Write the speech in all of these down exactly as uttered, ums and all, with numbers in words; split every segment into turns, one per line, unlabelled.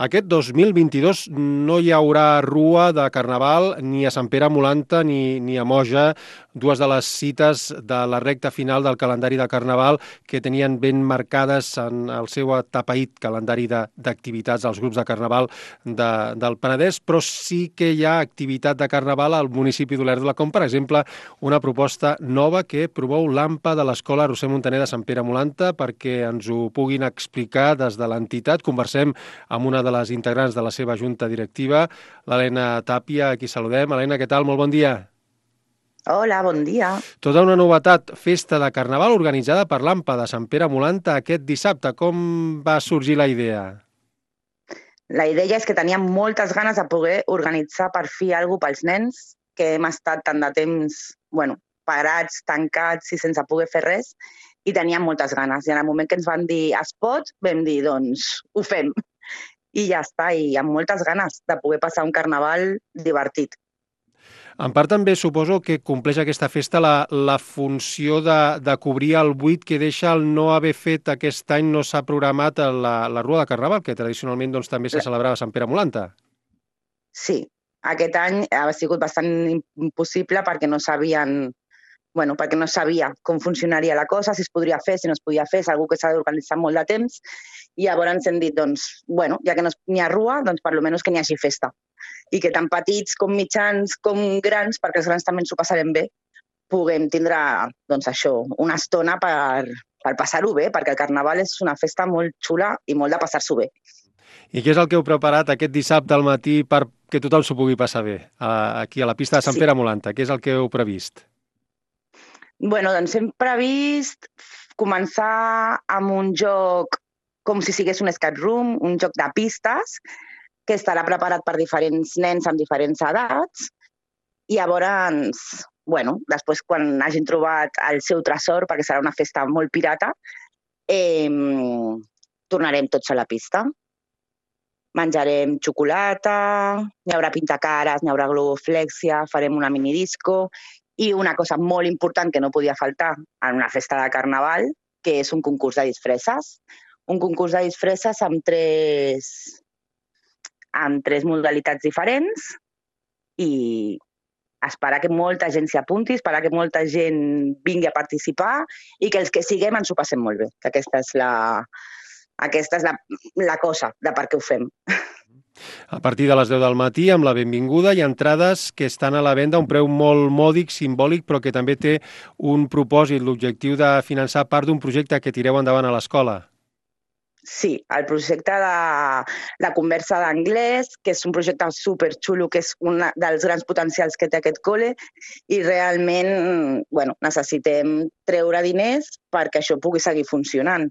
Aquest dos mil vint-i-dos no hi haurà rua de Carnaval ni a Sant Pere Molanta ni, ni a Moja, dues de les cites de la recta final del calendari de Carnaval que tenien ben marcades en el seu atapeït calendari de- d'activitats als grups de Carnaval de, del Penedès, però sí que hi ha activitat de Carnaval al municipi d'Olèrdola, com per exemple una proposta nova que promou l'AMPA de l'Escola Roser Montaner de Sant Pere Molanta perquè ens ho puguin explicar des de l'entitat. Conversem amb una de les integrants de la seva junta directiva, l'Helena Tàpia, a qui saludem. Helena, què tal? Molt bon dia.
Hola, bon dia.
Tota una novetat, festa de Carnaval organitzada per l'AMPA de Sant Pere Molanta aquest dissabte. Com va sorgir la idea?
La idea és que teníem moltes ganes de poder organitzar per fi alguna cosa pels nens, que hem estat tant de temps bueno, parats, tancats i sense poder fer res, i teníem moltes ganes. I en el moment que ens van dir es pot, vam dir, doncs, ho fem. I ja està, i amb moltes ganes de poder passar un carnaval divertit.
En part també suposo que compleix aquesta festa la, la funció de, de cobrir el buit que deixa el no haver fet aquest any, no s'ha programat la, la Rua de Carnaval, que tradicionalment doncs, també se celebrava a Sant Pere Molanta.
Sí, aquest any ha sigut bastant impossible perquè no sabien bueno, perquè no sabia com funcionaria la cosa, si es podria fer, si no es podia fer, és algú que s'ha d'organitzar molt de temps, i llavors ens hem dit, doncs, bueno, ja que no n'hi ha rua, doncs per almenys que n'hi hagi festa. I que tant petits com mitjans com grans, perquè els grans també ens ho passarem bé, puguem tindre, doncs això, una estona per, per passar-ho bé, perquè el Carnaval és una festa molt xula i molt de passar-s'ho bé.
I què és el que heu preparat aquest dissabte al matí perquè tothom s'ho pugui passar bé, aquí a la pista de Sant
Sí.
Pere Molanta? Què és el que heu previst?
Bueno, doncs hem previst començar amb un joc com si sigués un escape room, un joc de pistes, que estarà preparat per diferents nens amb diferents edats, i llavors, bueno, després quan hagin trobat el seu tresor, perquè serà una festa molt pirata, eh, tornarem tots a la pista. Menjarem xocolata, hi haurà pintacares, hi haurà globoflexia, farem una minidisco i una cosa molt important que no podia faltar en una festa de Carnaval, que és un concurs de disfresses. Un concurs de disfresses amb tres, amb tres modalitats diferents i esperar que molta gent s'hi apunti, esperar que molta gent vingui a participar i que els que siguem ens ho passem molt bé, que aquesta és la, aquesta és la, la cosa de per què ho fem.
A partir de les deu del matí, amb la benvinguda, hi ha entrades que estan a la venda a un preu molt mòdic, simbòlic, però que també té un propòsit, l'objectiu de finançar part d'un projecte que tireu endavant a l'escola.
Sí, el projecte de la conversa d'anglès, que és un projecte superxulo, que és un dels grans potencials que té aquest col·le, i realment bueno, necessitem treure diners perquè això pugui seguir funcionant.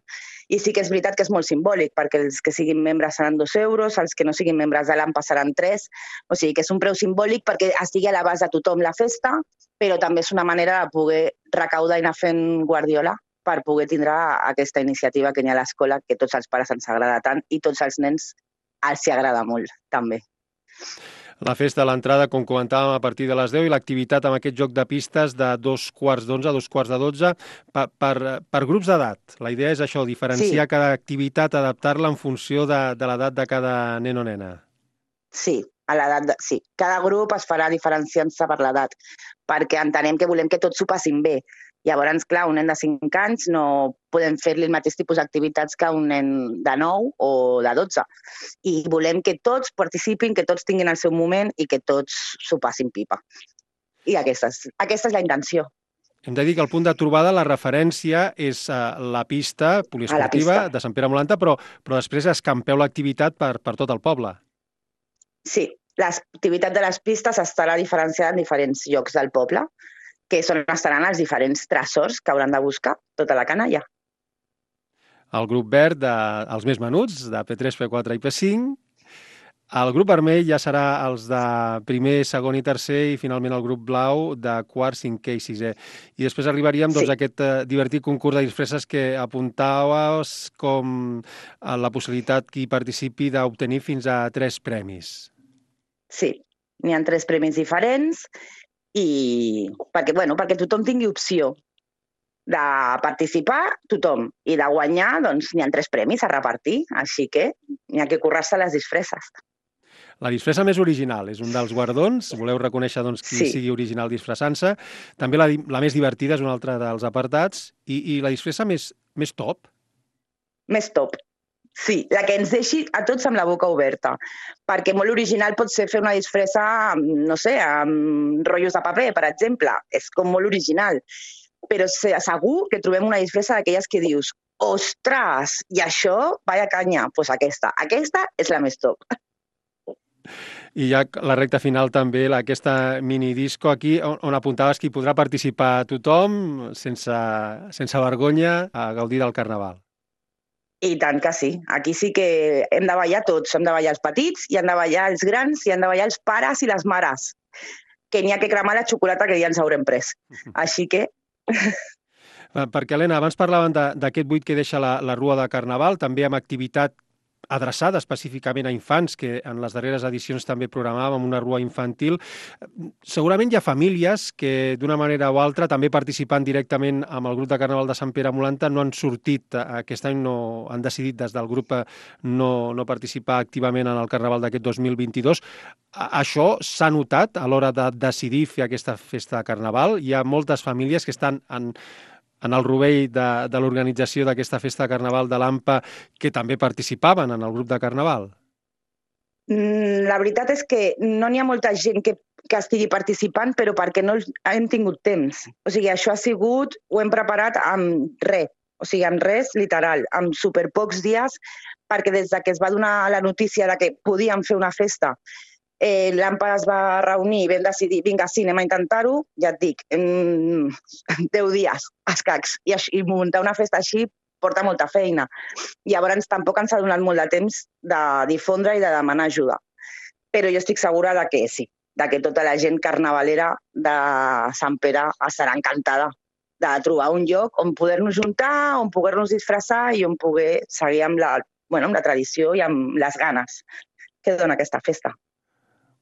I sí que és veritat que és molt simbòlic, perquè els que siguin membres seran dos euros, els que no siguin membres de l'AMPA seran tres, o sigui que és un preu simbòlic perquè estigui a l'abast de tothom la festa, però també és una manera de poder recaudar i anar fent guardiola per poder tindre aquesta iniciativa que hi ha a l'escola, que tots els pares ens agrada tant i tots els nens els hi agrada molt, també.
La festa a l'entrada, com comentàvem, a partir de les deu i l'activitat amb aquest joc de pistes de dos quarts d'onze a dos quarts de dotze per, per, per grups d'edat. La idea és això, diferenciar
Sí,
cada activitat, adaptar-la en funció de, de l'edat de cada nen o nena.
sí, a l'edat de... sí. Cada grup es farà diferenciant-se per l'edat, perquè entenem que volem que tots s'ho passin bé. Llavors, clar, un nen de cinc anys no podem fer-li el mateix tipus d'activitats que un nen de nou o de dotze. I volem que tots participin, que tots tinguin el seu moment i que tots s'ho passin pipa. I aquesta és, aquesta és la intenció.
Hem de dir que el punt de trobada, la referència, és uh, la pista
A la
poliesportiva
pista.
de Sant Pere Molanta, però, però després escampeu l'activitat per, per tot el poble.
Sí, l'activitat de les pistes estarà diferenciada en diferents llocs del poble, que són, estaran els diferents tresors que hauran de buscar tota la canalla.
El grup verd, de, els més menuts, de P tres, P quatre i P cinc. El grup vermell ja serà els de primer, segon i tercer i finalment el grup blau de quart, cinquè i sisè. I després arribaríem doncs,
Sí,
a aquest eh, divertit concurs de disfresses que apuntaves com a la possibilitat que hi participi d'obtenir fins a tres premis.
sí. N'hi ha tres premis diferents i perquè, bueno, perquè tothom tingui opció De participar, tothom. I de guanyar, doncs, n'hi ha tres premis a repartir, així que n'hi ha que currar-se les disfresses.
La disfressa més original és un dels guardons. Voleu reconèixer doncs, qui
Sí.
sigui original disfressant-se. També la, la més divertida és un altre dels apartats. I, i la disfressa més, més top?
Més top. Sí, la que ens deixi a tots amb la boca oberta. Perquè molt original pot ser fer una disfressa, no sé, amb rotllos de paper, per exemple. És com molt original. Però segur que trobem una disfressa d'aquelles que dius ostres, i això, vaya canya, doncs pues aquesta. Aquesta és la més top.
I ja la recta final també, aquesta minidisco aquí, on, on apuntaves que hi podrà participar tothom sense, sense vergonya a gaudir del carnaval.
I tant que sí. Aquí sí que hem de ballar tots. Hem de ballar els petits, i han de ballar els grans, i han de ballar els pares i les mares. Que n'hi ha que cremar la xocolata que ja ens haurem pres. Així que...
Perquè, Helena, abans parlaven d'aquest buit que deixa la, la Rua de Carnaval, també amb activitat adreçada específicament a infants, que en les darreres edicions també programàvem una rua infantil. Segurament hi ha famílies que, d'una manera o altra, també participant directament amb el grup de Carnaval de Sant Pere Molanta, no han sortit, aquest any no han decidit des del grup no, no participar activament en el Carnaval d'aquest dos mil vint-i-dos. Això s'ha notat a l'hora de decidir fer aquesta festa de Carnaval. Hi ha moltes famílies que estan en... en el rovell de, de l'organització d'aquesta festa de Carnaval de l'A M P A, que també participaven en el grup de Carnaval?
La veritat és que no n'hi ha molta gent que, que estigui participant, però perquè no hem tingut temps. O sigui, això ha sigut, ho hem preparat amb res, o sigui, amb res, literal, amb superpocs dies, perquè des de que es va donar la notícia de que podíem fer una festa, Eh, l'A M P A es va reunir i vam decidir, vinga, sí, anem a intentar-ho, ja et dic, en deu dies, escacs, i, i muntar una festa així porta molta feina. Llavors tampoc ens ha donat molt de temps de difondre i de demanar ajuda. Però jo estic segura de que sí, de que tota la gent carnavalera de Sant Pere estarà encantada de trobar un lloc on poder-nos juntar, on poder-nos disfressar i on poder seguir amb la, bueno, amb la tradició i amb les ganes que dona aquesta festa.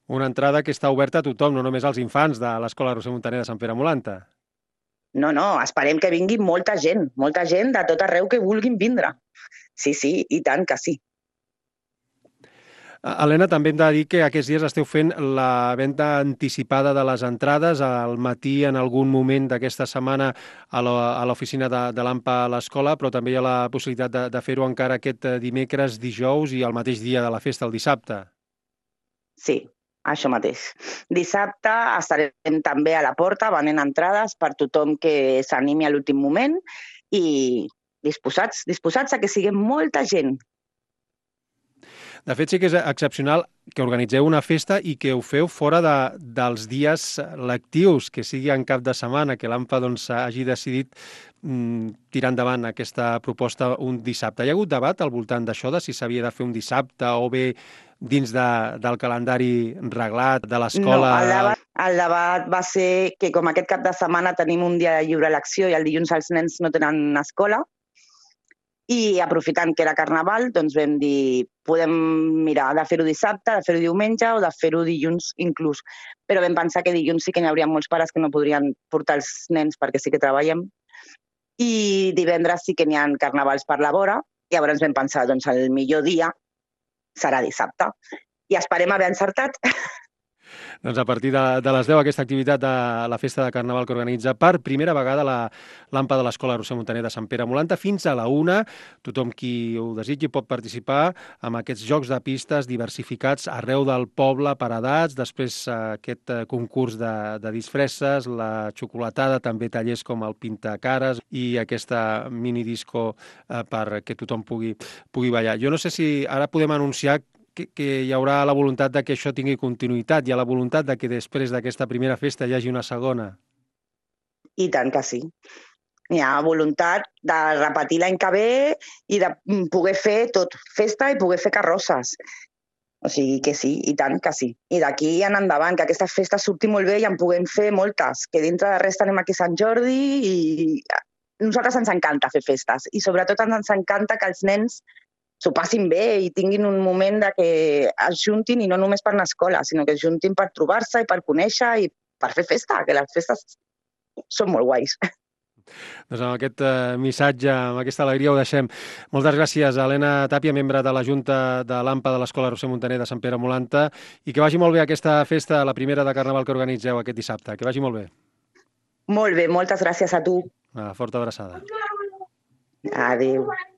Una entrada que està oberta a tothom, no només als infants de l'Escola Roser Muntaner de Sant Pere Molanta.
No, no, esperem que vingui molta gent, molta gent de tot arreu que vulguin vindre. Sí, sí, i tant que sí.
Helena, també hem de dir que aquests dies esteu fent la venda anticipada de les entrades al matí en algun moment d'aquesta setmana a l'oficina de, de l'A M P A a l'escola, però també hi ha la possibilitat de, de fer-ho encara aquest dimecres, dijous i el mateix dia de la festa, el dissabte.
Sí, això mateix. Dissabte estarem també a la porta venent entrades per tothom que s'animi a l'últim moment i disposats, disposats a que siguem molta gent.
De fet, sí que és excepcional que organitzeu una festa i que ho feu fora de, dels dies lectius, que sigui en cap de setmana, que l'A M P A doncs, hagi decidit mm, tirar endavant aquesta proposta un dissabte. Hi ha hagut debat al voltant d'això, de si s'havia de fer un dissabte o bé dins de, del calendari reglat de l'escola?
No, el debat, el debat va ser que com aquest cap de setmana tenim un dia de lliure elecció i el dilluns els nens no tenen escola, i aprofitant que era Carnaval, doncs vam dir podem mirar de fer-ho dissabte, de fer-ho diumenge o de fer-ho dilluns inclús. Però vam pensar que dilluns sí que n'hi hauria molts pares que no podrien portar els nens perquè sí que treballem. I divendres sí que n'hi ha carnavals per la vora. Llavors vam pensar, doncs el millor dia serà dissabte. I esperem haver encertat.
Doncs a partir de, de les deu, aquesta activitat de la festa de Carnaval que organitza per primera vegada la l'A M P A de l'Escola Roser Muntaner de Sant Pere Molanta fins a la una. Tothom qui ho desitgi pot participar amb aquests jocs de pistes diversificats arreu del poble per edats, després aquest concurs de, de disfresses, la xocolatada, també tallers com el pintacares i aquesta minidisco eh, perquè tothom pugui, pugui ballar. Jo no sé si ara podem anunciar Que, que hi haurà la voluntat de que això tingui continuïtat, hi ha la voluntat de que després d'aquesta primera festa hi hagi una segona.
I tant que sí. Hi ha voluntat de repetir l'any que ve i de poder fer tot, festa i poder fer carrosses. O sigui que sí, i tant que sí. I d'aquí en endavant, que aquesta festa surti molt bé i en puguem fer moltes, que dintre de res tenim aquí Sant Jordi i a nosaltres ens encanta fer festes i sobretot ens encanta que els nens s'ho passin bé i tinguin un moment de que es juntin i no només per anar a escola, sinó que es juntin per trobar-se i per conèixer i per fer festa, que les festes són molt guais.
Doncs amb aquest eh, missatge, amb aquesta alegria ho deixem. Moltes gràcies a Helena Tàpia, membre de la Junta de l'AMPA de l'Escola Roser Montaner de Sant Pere Molanta, i que vagi molt bé aquesta festa, la primera de Carnaval que organitzeu aquest dissabte. Que vagi molt bé.
Molt bé, moltes gràcies a tu.
Una forta abraçada.
Adéu.